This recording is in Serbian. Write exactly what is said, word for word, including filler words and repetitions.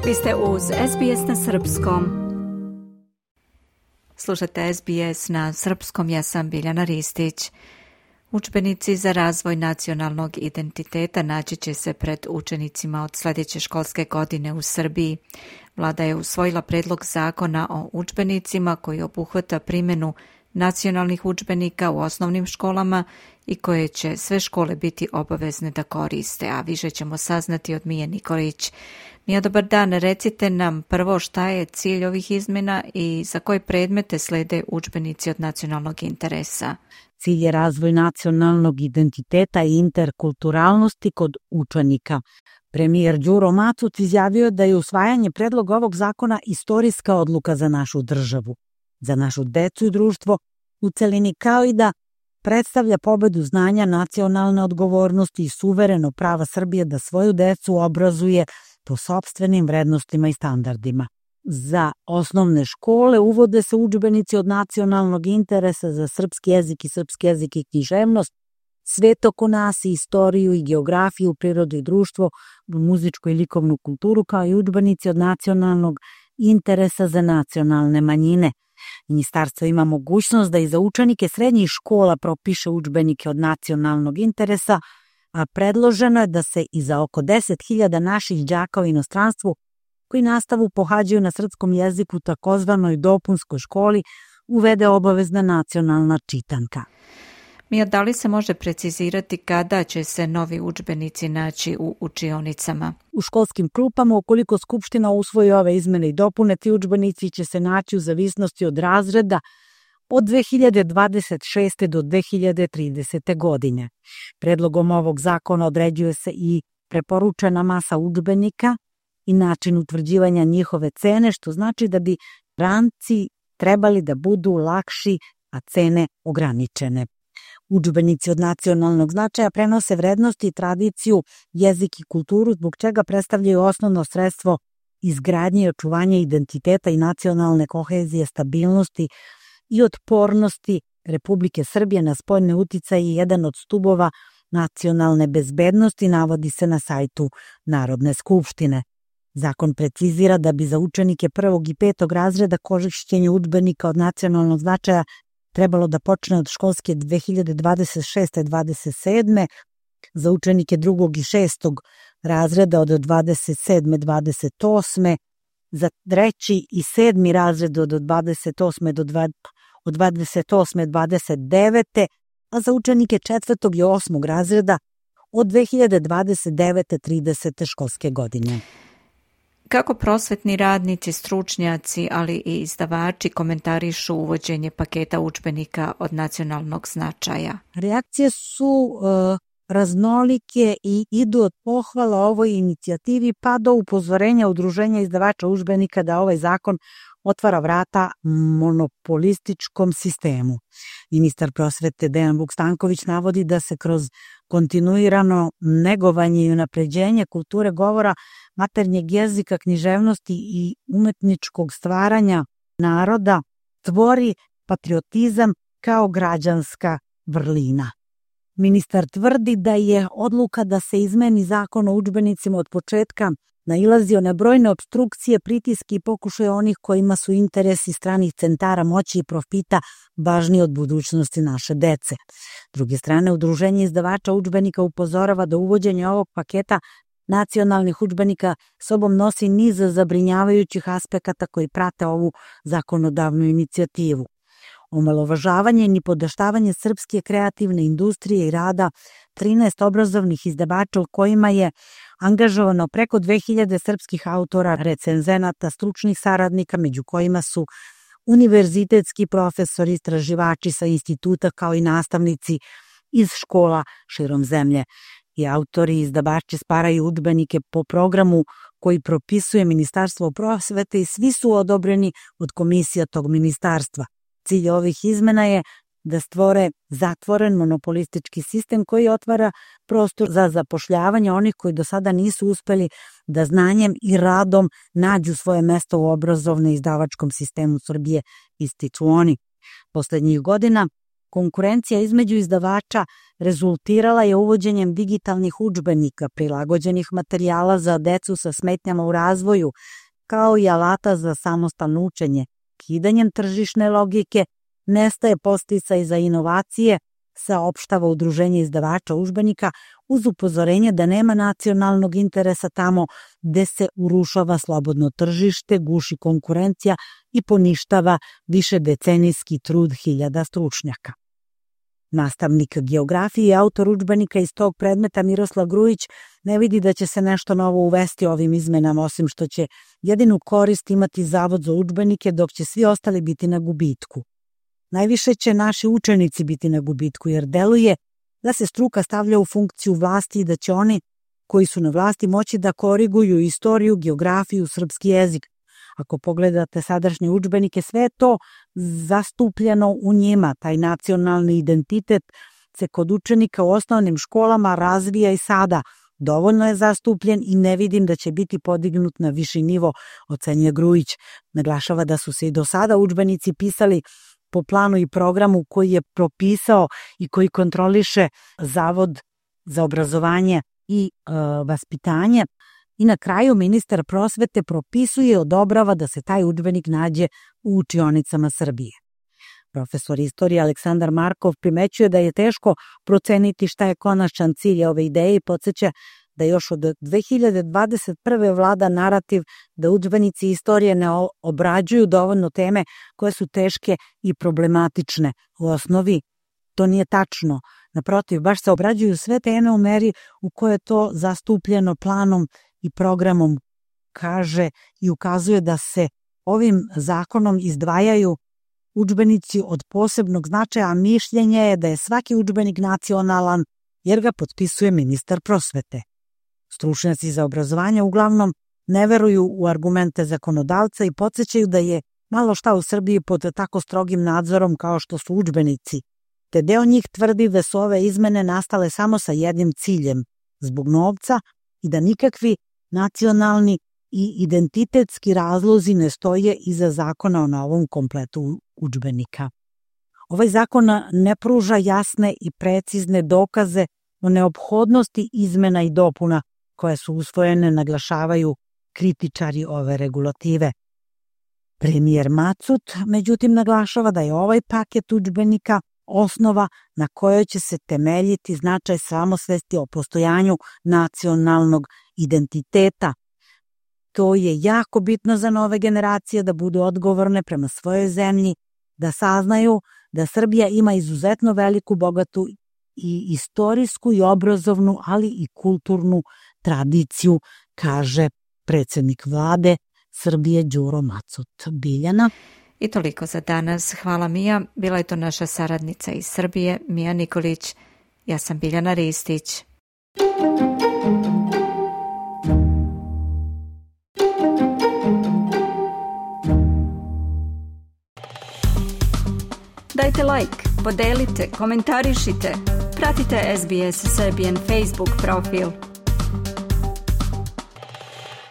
Vi ste uz S B S na srpskom. Slušate S B S na srpskom, ja sam Biljana Ristić. Udžbenici za razvoj nacionalnog identiteta naći će se pred učenicima od sljedeće školske godine u Srbiji. Vlada je usvojila predlog zakona o udžbenicima koji obuhvata primjenu nacionalnih udžbenika u osnovnim školama i koje će sve škole biti obavezne da koriste, a više ćemo saznati od Mije Nikolić. Mija, dobar dan, recite nam prvo šta je cilj ovih izmjena i za koje predmete slede udžbenici od nacionalnog interesa. Cilj je razvoj nacionalnog identiteta i interkulturalnosti kod učenika. Premijer Đuro Macuc izjavio da je usvajanje predloga ovog zakona istorijska odluka za našu državu, za našu decu i društvo u celini, kao i da predstavlja pobedu znanja, nacionalne odgovornosti i suvereno prava Srbije da svoju decu obrazuje po sopstvenim vrednostima i standardima. Za osnovne škole uvode se udžbenici od nacionalnog interesa za srpski jezik i srpski jezik i književnost, svet oko nas i istoriju i geografiju, prirodu i društvo, muzičku i likovnu kulturu, kao i udžbenici od nacionalnog interesa za nacionalne manjine. Ministarstvo ima mogućnost da i za učenike srednjih škola propiše udžbenike od nacionalnog interesa, a predloženo je da se i za oko deset hiljada naših đaka u inostranstvu koji nastavu pohađaju na srpskom jeziku takozvanoj dopunskoj školi uvede obavezna nacionalna čitanka. Mija, da li se može precizirati kada će se novi udžbenici naći u učionicama? U školskim klupama, ukoliko Skupština usvoji ove izmene i dopune, ti udžbenici će se naći u zavisnosti od razreda od dve hiljade dvadeset šeste do dve hiljade tridesete godine. Predlogom ovog zakona određuje se i preporučena masa udžbenika i način utvrđivanja njihove cene, što znači da bi ranci trebali da budu lakši, a cene ograničene. Udžbenici od nacionalnog značaja prenose vrednosti i tradiciju, jezik i kulturu, zbog čega predstavljaju osnovno sredstvo izgradnje i očuvanja identiteta i nacionalne kohezije, stabilnosti i otpornosti Republike Srbije na spoljne uticaje i jedan od stubova nacionalne bezbednosti, navodi se na sajtu Narodne skupštine. Zakon precizira da bi za učenike prvog i petog razreda korišćenje udžbenika od nacionalnog značaja trebalo da počne od školske dve hiljade dvadeset šeste dvadeset sedme, za učenike drugog i šestog razreda od dvadeset sedme dvadeset osme, za treći i sedmi razred od dvadeset osme do od dvadeset osme dvadeset devete, a za učenike četvrtog i osmog razreda od dve hiljade dvadeset devete tridesete školske godine. Kako prosvetni radnici, stručnjaci, ali i izdavači komentarišu uvođenje paketa udžbenika od nacionalnog značaja? Reakcije su uh, raznolike i idu od pohvala ovoj inicijativi pa do upozorenja udruženja izdavača udžbenika da ovaj zakon otvara vrata monopolističkom sistemu. Ministar prosvete Dejan Vuk-Stanković navodi da se kroz kontinuirano negovanje i unapređenje kulture govora, maternjeg jezika, književnosti i umetničkog stvaranja naroda tvori patriotizam kao građanska vrlina. Ministar tvrdi da je odluka da se izmeni zakon o udžbenicima od početka nailazio na brojne opstrukcije, pritiske i pokušaje onih kojima su interesi stranih centara moći i profita važniji od budućnosti naše dece. S druge strane, udruženje izdavača udžbenika upozorava da uvođenje ovog paketa nacionalnih udžbenika sobom nosi niz zabrinjavajućih aspekata koji prate ovu zakonodavnu inicijativu. Omalovažavanje i nipodaštavanje srpske kreativne industrije i rada trinaest obrazovnih izdavača u kojima je angažovano preko dve hiljade srpskih autora, recenzenata, stručnih saradnika, među kojima su univerzitetski profesori, istraživači sa instituta kao i nastavnici iz škola širom zemlje. I autori i izdavači sparaju udžbenike po programu koji propisuje Ministarstvo prosvete i svi su odobreni od komisija tog ministarstva. Cilj ovih izmena je da stvore zatvoren monopolistički sistem koji otvara prostor za zapošljavanje onih koji do sada nisu uspeli da znanjem i radom nađu svoje mesto u obrazovno izdavačkom sistemu Srbije, ističu oni. Poslednjih godina Konkurencija između izdavača rezultirala je uvođenjem digitalnih udžbenika, prilagođenih materijala za decu sa smetnjama u razvoju, kao i alata za samostalno učenje. Kidanjem tržišne logike nestaje podsticaj za inovacije, saopštava Udruženje izdavača udžbenika uz upozorenje da nema nacionalnog interesa tamo gde se urušava slobodno tržište, guši konkurencija i poništava višedecenijski trud hiljada stručnjaka. Nastavnik geografije i autor udžbenika iz tog predmeta Miroslav Grujić ne vidi da će se nešto novo uvesti ovim izmenama, osim što će jedinu korist imati Zavod za udžbenike, dok će svi ostali biti na gubitku. Najviše će naši učenici biti na gubitku, jer deluje da se struka stavlja u funkciju vlasti i da će oni koji su na vlasti moći da koriguju istoriju, geografiju, srpski jezik. Ako pogledate sadašnje udžbenike, sve je to zastupljeno u njima. Taj nacionalni identitet se kod učenika u osnovnim školama razvija i sada. Dovoljno je zastupljen i ne vidim da će biti podignut na viši nivo, ocenjuje Grujić. Naglašava da su se i do sada udžbenici pisali po planu i programu koji je propisao i koji kontroliše Zavod za obrazovanje i e, vaspitanje. I na kraju ministar prosvete propisuje i odobrava da se taj udžbenik nađe u učionicama Srbije. Profesor istorije Aleksandar Markov primećuje da je teško proceniti šta je konačan cilj ove ideje i podsjeća da još od dve hiljade dvadeset prve vlada narativ da udžbenici istorije ne obrađuju dovoljno teme koje su teške i problematične. U osnovi to nije tačno. Naprotiv, baš se obrađuju sve teme u meri u kojoj je to zastupljeno planom i programom, kaže i ukazuje da se ovim zakonom izdvajaju udžbenici od posebnog značaja, a mišljenje je da je svaki udžbenik nacionalan jer ga potpisuje ministar prosvete. Stručnjaci za obrazovanje uglavnom ne veruju u argumente zakonodavca i podsjećaju da je malo šta u Srbiji pod tako strogim nadzorom kao što su udžbenici, te deo njih tvrdi da su ove izmene nastale samo sa jednim ciljem, zbog novca, i da nikakvi nacionalni i identitetski razlozi ne stoje iza zakona o novom kompletu udžbenika. Ovaj zakon ne pruža jasne i precizne dokaze o neophodnosti izmena i dopuna koje su usvojene, naglašavaju kritičari ove regulative. Premijer Macut, međutim, naglašava da je ovaj paket udžbenika osnova na kojoj će se temeljiti značaj samosvesti o postojanju nacionalnog identiteta. To je jako bitno za nove generacije da budu odgovorne prema svojoj zemlji, da saznaju da Srbija ima izuzetno veliku, bogatu i istorijsku i obrazovnu, ali i kulturnu tradiciju, kaže predsjednik vlade Srbije Đuro Macut. Biljana. I toliko za danas. Hvala Mija. Bila je to naša saradnica iz Srbije, Mija Nikolić. Ja sam Biljana Ristić. Dajte like, podelite, komentarišite. Pratite S B S Serbian Facebook profil.